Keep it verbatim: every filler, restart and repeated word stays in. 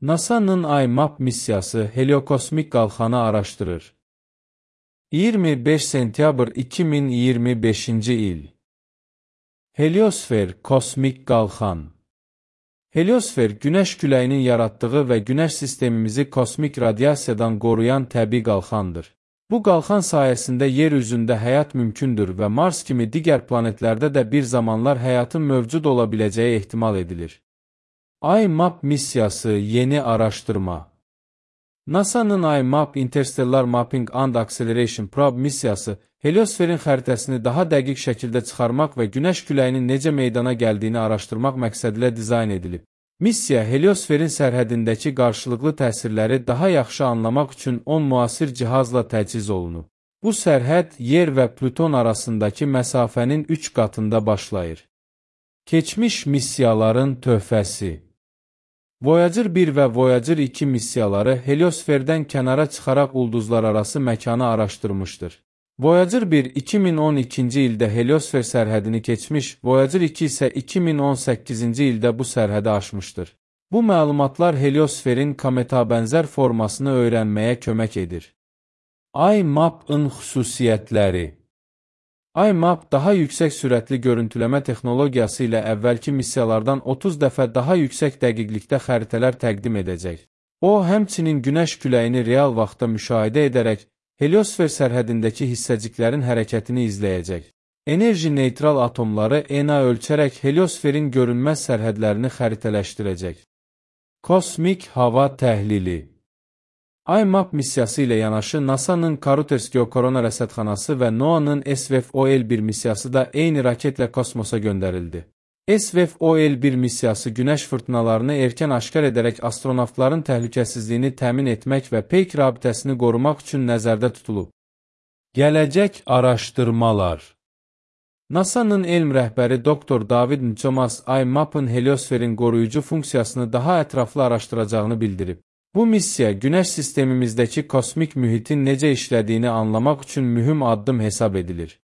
NASA'nın IMAP missiyası heliokosmik qalxanı araşdırır. iyirmi beş sentyabr iki min iyirmi beşinci il. Heliosfer kosmik qalxan. Heliosfer, Günəş küləyinin yaratdığı və Günəş sistemimizi kosmik radiasiyadan qoruyan təbii qalxandır. Bu qalxan sayəsində yer üzündə həyat mümkündür və Mars kimi digər planetlərdə də bir zamanlar həyatın mövcud ola biləcəyi ehtimal edilir. IMAP missiyası yeni araşdırma. NASA'nın IMAP Interstellar Mapping and Acceleration Probe missiyası, heliosferin xəritəsini daha dəqiq şəkildə çıxarmaq və Günəş küləyinin necə meydana gəldiyini araşdırmaq məqsədilə dizayn edilib. Missiya, heliosferin sərhədindəki qarşılıqlı təsirləri daha yaxşı anlamaq üçün on müasir cihazla təchiz olunub. Bu sərhəd, Yer və Plüton arasındakı məsafənin üç qatında başlayır. Keçmiş missiyaların töhfəsi. Voyager bir və Voyager iki missiyaları heliosferdən kənara çıxaraq ulduzlararası məkanı araşdırmışdır. Voyager bir iki min on ikinci ildə heliosfer sərhədini keçmiş, Voyager iki isə iki min on səkkizinci ildə bu sərhədi aşmışdır. Bu məlumatlar heliosferin kometa bənzər formasını öyrənməyə kömək edir. IMAP-ın xüsusiyyətləri. IMAP daha yüksək sürətli görüntüləmə texnologiyası ilə əvvəlki missiyalardan otuz dəfə daha yüksək dəqiqlikdə xəritələr təqdim edəcək. O, həmçinin Günəş küləyini real vaxtda müşahidə edərək, heliosfer sərhədindəki hissəciklərin hərəkətini izləyəcək. Enerji neytral atomları E N A ölçərək heliosferin görünməz sərhədlərini xəritələşdirəcək. Kosmik hava təhlili. IMAP missiyası ilə yanaşı NASA'nın Karuters Geokorona rəsədxanası və NOAA'nın S V F O L bir missiyası da eyni raketlə kosmosa göndərildi. S V F O L bir missiyası Günəş fırtınalarını erkən aşkar edərək astronavtların təhlükəsizliyini təmin etmək və peyk rabitəsini qorumaq üçün nəzərdə tutulub. Gələcək araşdırmalar. NASA'nın elm rəhbəri doktor David Njomas IMAP-ın heliosferin qoruyucu funksiyasını daha ətraflı araşdıracağını bildirib. Bu missiya, Günəş sistemimizdəki kosmik mühitin necə işlədiyini anlamaq üçün mühüm addım hesab edilir.